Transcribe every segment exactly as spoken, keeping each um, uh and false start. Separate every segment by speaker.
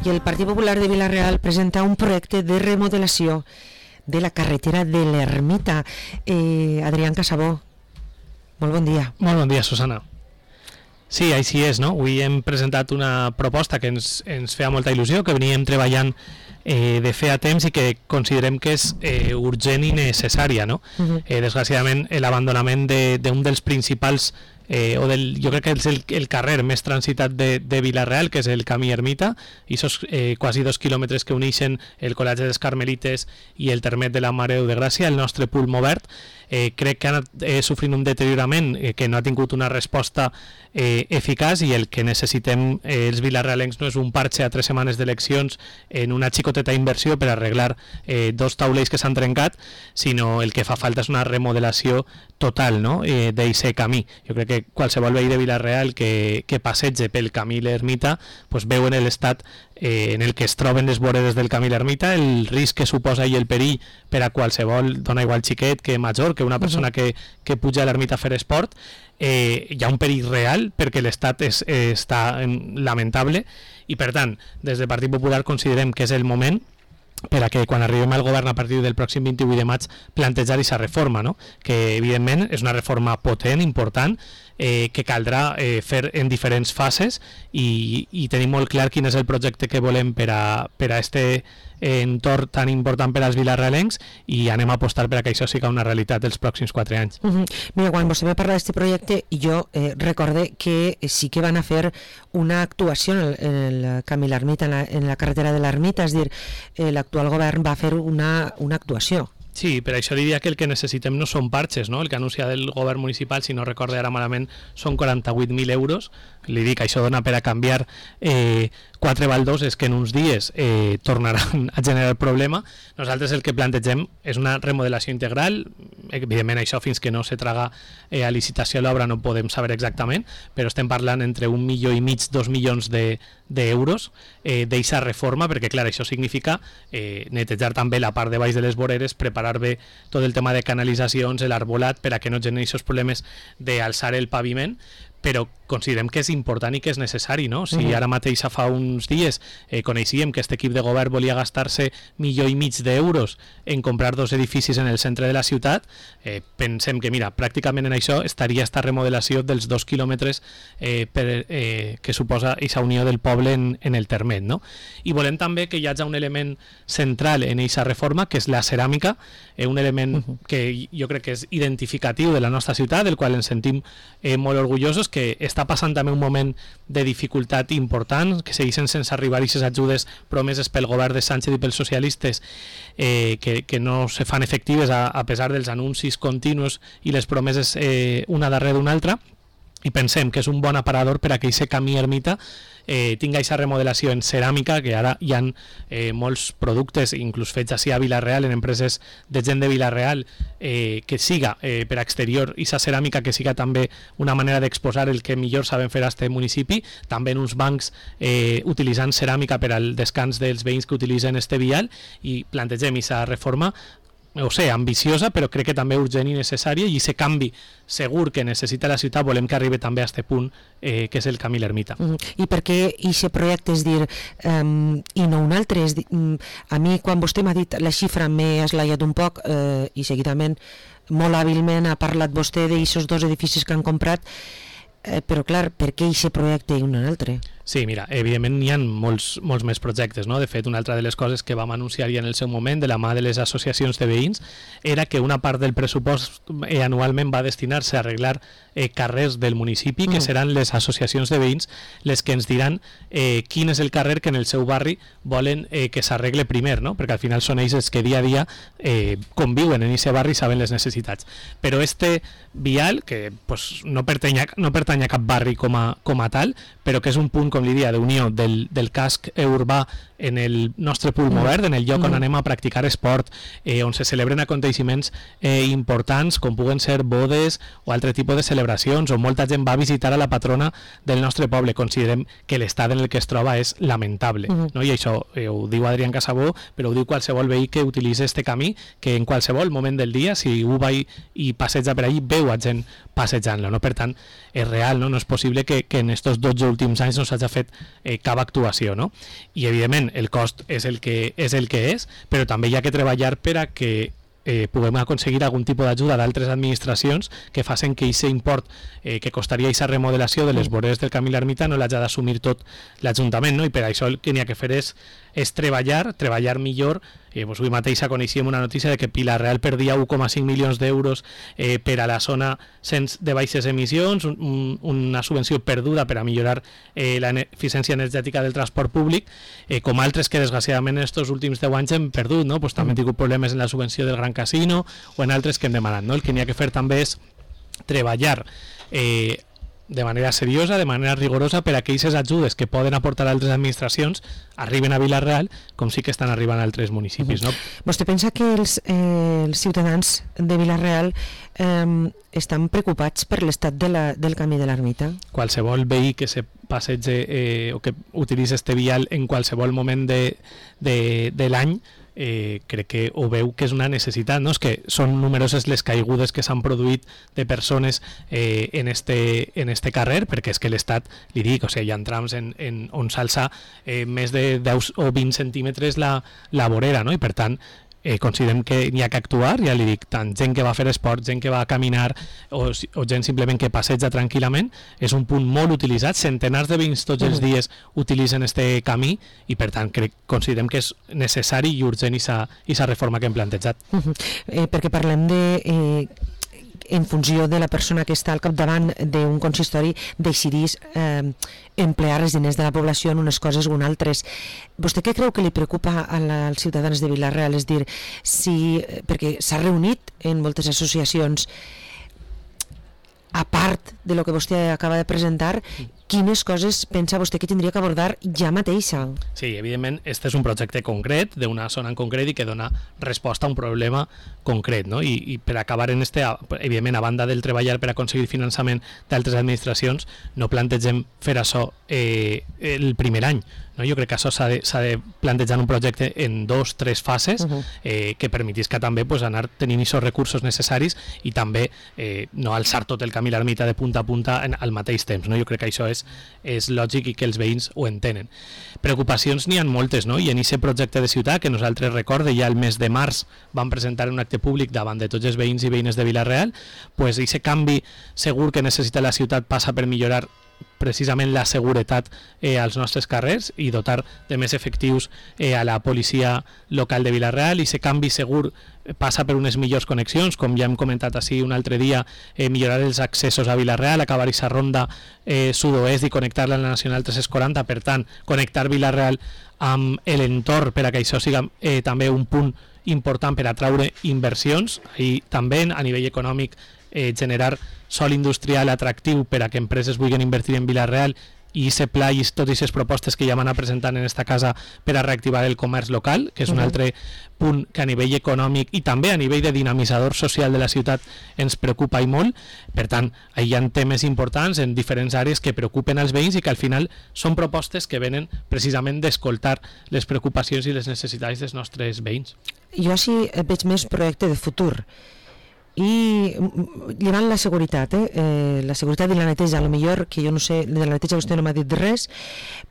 Speaker 1: i el Partit Popular de Vila-real presenta un projecte de remodelació de la carretera de l'Ermita. Eh, Adrián Casabó, molt bon dia.
Speaker 2: Molt bon dia, Susana. Sí, així és, no? Avui hem presentat una proposta que ens, ens feia molta il·lusió, que veníem treballant eh, de fer a temps i que considerem que és eh, urgent i necessària, no? Uh-huh. eh, desgraciadament, l'abandonament d'un de, dels principals Eh, o del, jo crec que és el, el carrer més transitat de, de Vila-real, que és el camí Ermita, i esos eh, quasi dos quilòmetres que uneixen el Col·legi dels Carmelites i el termet de la Mare de Gràcia, el nostre Pulmo Verd, eh, crec que ha anat eh, sofrint un deteriorament eh, que no ha tingut una resposta eh, eficaç, i el que necessitem eh, els vilarrealencs no és un parche a tres setmanes d'eleccions en una xicoteta inversió per arreglar eh, dos taulells que s'han trencat, sinó el que fa falta és una remodelació total, no? eh, d'aquest camí. Jo crec que que qualsevol veí de Vila-real que, que passege pel camí l'Ermita pues veu en l'estat eh, en el que es troben les voredes del camí l'Ermita, el risc que suposa i el perill per a qualsevol, dona igual xiquet que major, que una persona que, que puja a l'Ermita a fer esport. Eh, hi ha un perill real perquè l'estat és, eh, està lamentable, i per tant des del Partit Popular considerem que és el moment per a que quan arribem al govern a partir del pròxim vint-i-vuit de maig plantejar aquesta reforma, no? Que evidentment és una reforma potent, important, eh, que caldrà eh, fer en diferents fases, i, i tenim molt clar quin és el projecte que volem per a, per a este entorn tan important per als vilarrealencs, i anem a apostar per a que això sigui una realitat els pròxims quatre anys.
Speaker 1: Uh -huh. Mira, quan vostè va parlar d'aquest projecte, jo eh, recorde que sí que van a fer una actuació en el, en el camí l'Ermita, en, la, en la carretera de l'Ermita, és a dir, eh, l'actual govern va fer una, una actuació.
Speaker 2: Sí, per això diria que el que necessitem no són parxes, no? El que anuncia el govern municipal, si no recorde ara malament, són quaranta-vuit mil euros. Li dic, això dona per a canviar eh, quatre baldoses que en uns dies eh, tornaran a generar problema. Nosaltres el que plantegem és una remodelació integral. Evidentment això fins que no se traga eh, a licitació l'obra no podem saber exactament, però estem parlant entre un milió i mig, dos milions de d'euros eh, d'eixa reforma, perquè clar, això significa eh, netejar també la part de baix de les voreres, preparar bé tot el tema de canalitzacions, l'arbolat, per a que no generi aquests problemes d'alçar el paviment, però considerem que és important i que és necessari, no? Si ara mateix fa uns dies eh, coneixíem que aquest equip de govern volia gastar-se milió i mig d'euros en comprar dos edificis en el centre de la ciutat, eh, pensem que, mira, pràcticament en això estaria esta remodelació dels dos quilòmetres eh, per, eh, que suposa aquesta unió del poble en, en el termet, no? I volem també que hi hagi un element central en aquesta reforma, que és la ceràmica, eh, un element uh-huh. que jo crec que és identificatiu de la nostra ciutat, del qual ens sentim eh, molt orgullosos, que està passant també un moment de dificultat important, que segueixen sense arribar aquestes ajudes promeses pel govern de Sánchez i pels socialistes, eh, que, que no se fan efectives a, a pesar dels anuncis continus i les promeses eh, una darrere d'una altra, i pensem que és un bon aparador per a que aquest camí Ermita eh, tinga aquesta remodelació en ceràmica, que ara hi ha eh, molts productes, inclús fets així a Vila-real, en empreses de gent de Vila-real, eh, que siga eh, per a exterior aquesta ceràmica, que siga també una manera d'exposar el que millor saben fer a este municipi, també en uns bancs eh, utilitzant ceràmica per al descans dels veïns que utilitzen este vial, i plantegem aquesta reforma, o sé, ambiciosa, però crec que també urgent i necessària, i aquest canvi segur que necessita la ciutat volem que arribi també a aquest punt eh, que és el camí l'Ermita.
Speaker 1: Mm. I per què aquest projecte, és dir, um, i no un altre? És dir, um, a mi, quan vostè m'ha dit la xifra, m'he esglaiat un poc eh, i seguidament, molt hàbilment, ha parlat vostè d'aquests dos edificis que han comprat, eh, però clar, per què aquest projecte i un altre?
Speaker 2: Sí, mira, evidentment hi ha molts, molts més projectes, no? De fet, una altra de les coses que vam anunciar ja en el seu moment, de la mà de les associacions de veïns, era que una part del pressupost eh, anualment va destinar-se a arreglar eh, carrers del municipi, que mm. seran les associacions de veïns les que ens diran eh, quin és el carrer que en el seu barri volen eh, que s'arregle primer, no? Perquè al final són ells els que dia a dia eh, conviuen en aquest barri i saben les necessitats. Però este vial, que pues, no, pertany a, no pertany a cap barri com a, com a tal, però que és un punt, com li dia, d'unió del, del casc urbà en el nostre Pulmo Verd, en el lloc on anem a practicar esport, eh, on se celebren aconteixements eh, importants, com puguen ser bodes o altre tipus de celebracions, on molta gent va a visitar a la patrona del nostre poble. Considerem que l'estat en el que es troba és lamentable, uh -huh. no? I això eh, ho diu Adrián Casabó, però ho diu qualsevol veí que utilitzi este camí, que en qualsevol moment del dia, si ho va i, i passeja per allí, veu a gent passejant-lo, no? Per tant, és real, no? No és possible que, que en estos dotze últims anys no s'hagi s'ha fet eh, cap actuació, no? I evidentment el cost és el que és, el que és, però també hi ha que treballar per a que eh, puguem aconseguir algun tipus d'ajuda d'altres administracions que facin que aquest import eh, que costaria aquesta remodelació de les voreres del camí l'Ermita no l'hagi d'assumir tot l'Ajuntament, no? I per això el que n'hi ha que fer és, és treballar, treballar millor. Eh, doncs avui mateix coneixíem una notícia de que Vila-real perdia u coma cinc milions d'euros eh, per a la zona sense de baixes emissions, un, una subvenció perduda per a millorar eh, l'eficiència energètica del transport públic, eh, com altres que desgraciadament en aquests últims deu anys hem perdut, no? Pues també hem tingut problemes en la subvenció del Gran Casino o en altres que hem demanat, no? El que n'hi ha que fer també és treballar eh, de manera seriosa, de manera rigorosa, per a que aquestes ajudes que poden aportar altres administracions arriben a Vila-real com sí que estan arribant a altres municipis, no?
Speaker 1: Vostè pensa que els, eh, els ciutadans de Vila-real eh, estan preocupats per l'estat de la, del camí de l'Ermita?
Speaker 2: Qualsevol veí que se passege eh, o que utilitzi este vial en qualsevol moment de, de, de l'any Eh, crec que ho veu que és una necessitat, no? És que són numeroses les caigudes que s'han produït de persones eh, en, este, en este carrer, perquè és que l'Estat, li dic, o sigui, hi ha trams en, en, on s'alça eh, més de deu o vint centímetres la, la vorera, no? I per tant eh, considerem que n'hi ha que actuar, ja li dic, tant gent que va a fer esport, gent que va a caminar o, o gent simplement que passeja tranquil·lament, és un punt molt utilitzat, centenars de veïns tots els dies utilitzen este camí i per tant crec, considerem que és necessari i urgent aquesta reforma que hem plantejat.
Speaker 1: Uh -huh. eh, perquè parlem de... Eh... en funció de la persona que està al capdavant d'un consistori decidís eh, emplear els diners de la població en unes coses o en altres. Vostè què creu que li preocupa a la, als ciutadans de Vila-real? És dir, si, perquè s'ha reunit en moltes associacions, a part de lo que vostè acaba de presentar, quines coses pensa vostè que tindria que abordar ja mateixa?
Speaker 2: Sí, evidentment, este és un projecte concret d'una zona en concret i que dona resposta a un problema concret, no? I, i per acabar en este, evidentment, a banda del treballar per aconseguir finançament d'altres administracions, no plantegem fer això eh, el primer any, no? Jo crec que això s'ha de, s'ha de plantejar un projecte en dos, tres fases uh -huh. eh, que permetisca també pues, anar tenint aquests recursos necessaris i també eh, no alçar tot el camí a l'Ermita de punta a punta en, al mateix temps, no? Jo crec que això és, és lògic i que els veïns ho entenen. Preocupacions n'hi ha moltes, no? I en aquest projecte de ciutat que nosaltres recorde ja el mes de març vam presentar un acte públic davant de tots els veïns i veïnes de Vila-real, pues aquest canvi segur que necessita la ciutat passa per millorar precisament la seguretat eh, als nostres carrers i dotar de més efectius eh, a la policia local de Vila-real, i aquest canvi segur passa per unes millors connexions, com ja hem comentat així un altre dia, eh, millorar els accessos a Vila-real, acabar aquesta ronda eh, sud-oest i connectar-la a la Nacional tres-cents quaranta, per tant, connectar Vila-real amb l'entorn per a que això siga eh, també un punt important per atraure inversions i també a nivell econòmic eh, generar sòl industrial atractiu per a que empreses vulguin invertir en Vila-real i aquest pla i totes aquestes propostes que ja van a presentar en esta casa per a reactivar el comerç local, que és un uh -huh. altre punt que a nivell econòmic i també a nivell de dinamitzador social de la ciutat ens preocupa i molt. Per tant, hi ha temes importants en diferents àrees que preocupen als veïns i que al final són propostes que venen precisament d'escoltar les preocupacions i les necessitats dels nostres veïns.
Speaker 1: Jo així veig més projecte de futur. I llevant la seguretat, eh? Eh, la seguretat i la neteja, a lo millor, que jo no sé, de la neteja vostè no m'ha dit res,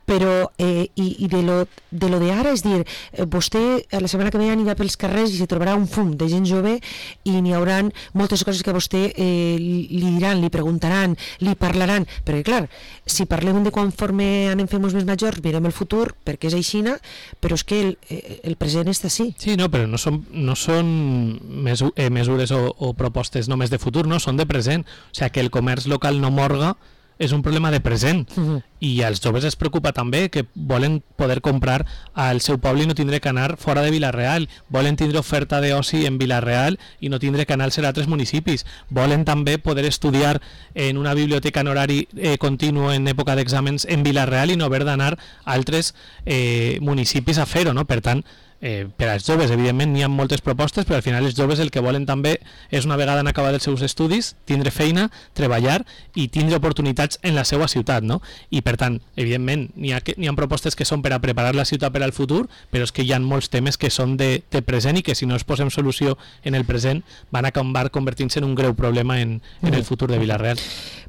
Speaker 1: però eh, i, i de lo de lo d'ara, és dir, eh, vostè la setmana que ve anirà pels carrers i se trobarà un fum de gent jove i n'hi hauran moltes coses que a vostè eh, li diran, li preguntaran, li parlaran, perquè clar, si parlem de conforme anem fent més majors, mirem el futur, perquè és aixina, però és que el, el present està així.
Speaker 2: Sí, no, però no són, no són mesu eh, mesures o, o propostes només de futur, no, són de present. O sigui, que el comerç local no morga és un problema de present. Uh-huh. I als joves es preocupa també que volen poder comprar al seu poble i no tindre que anar fora de Vila-real, volen tindre oferta d'oci en Vila-real i no tindre que anar a altres municipis, volen també poder estudiar en una biblioteca en horari eh, continu en època d'exàmens en Vila-real i no haver d'anar a altres eh, municipis a fer-ho, no? Per tant, Eh, per als joves, evidentment, n'hi ha moltes propostes, però al final els joves el que volen també és, una vegada han acabat els seus estudis, tindre feina, treballar i tindre oportunitats en la seva ciutat, no? I per tant, evidentment, n'hi ha, n'hi ha propostes que són per a preparar la ciutat per al futur, però és que hi ha molts temes que són de, de present i que si no es posem solució en el present van acabar convertint-se en un greu problema en, en el futur de Vila-real.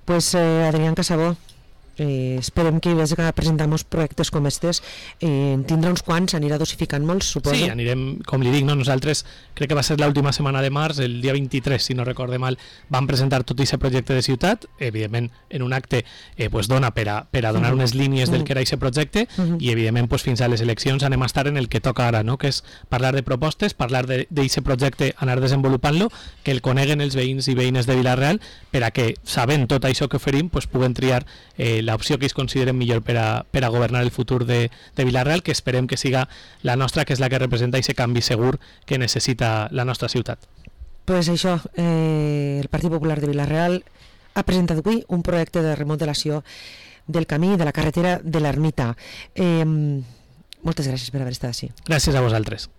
Speaker 1: Pues eh, Adrián Casabó, Eh, esperem que vés a presentar molts projectes com estes, eh, en tindrà uns quants, anirà dosificant molts, suposo.
Speaker 2: Sí, anirem, com li dic, no? Nosaltres crec que va ser l'última setmana de març, el dia vint-i-tres, si no recorde mal, vam presentar tot aquest projecte de ciutat, evidentment en un acte eh, pues dona per a, per a donar
Speaker 1: uh -huh.
Speaker 2: unes línies del
Speaker 1: uh -huh.
Speaker 2: que era aquest projecte
Speaker 1: uh -huh.
Speaker 2: i evidentment pues, fins a les eleccions anem a estar en el que toca ara, no? Que és parlar de propostes, parlar d'aquest projecte, anar desenvolupant-lo, que el coneguen els veïns i veïnes de Vila-real per a que, sabent tot això que oferim, pues, puguen triar eh, l'opció que ells consideren millor per a, per a governar el futur de, de Vila-real, que esperem que siga la nostra, que és la que representa aquest canvi segur que necessita la nostra ciutat.
Speaker 1: Pues això, eh, el Partit Popular de Vila-real ha presentat avui un projecte de remodelació del camí de la carretera de l'Ermita. Eh, moltes gràcies per haver estat així.
Speaker 2: Gràcies a vosaltres.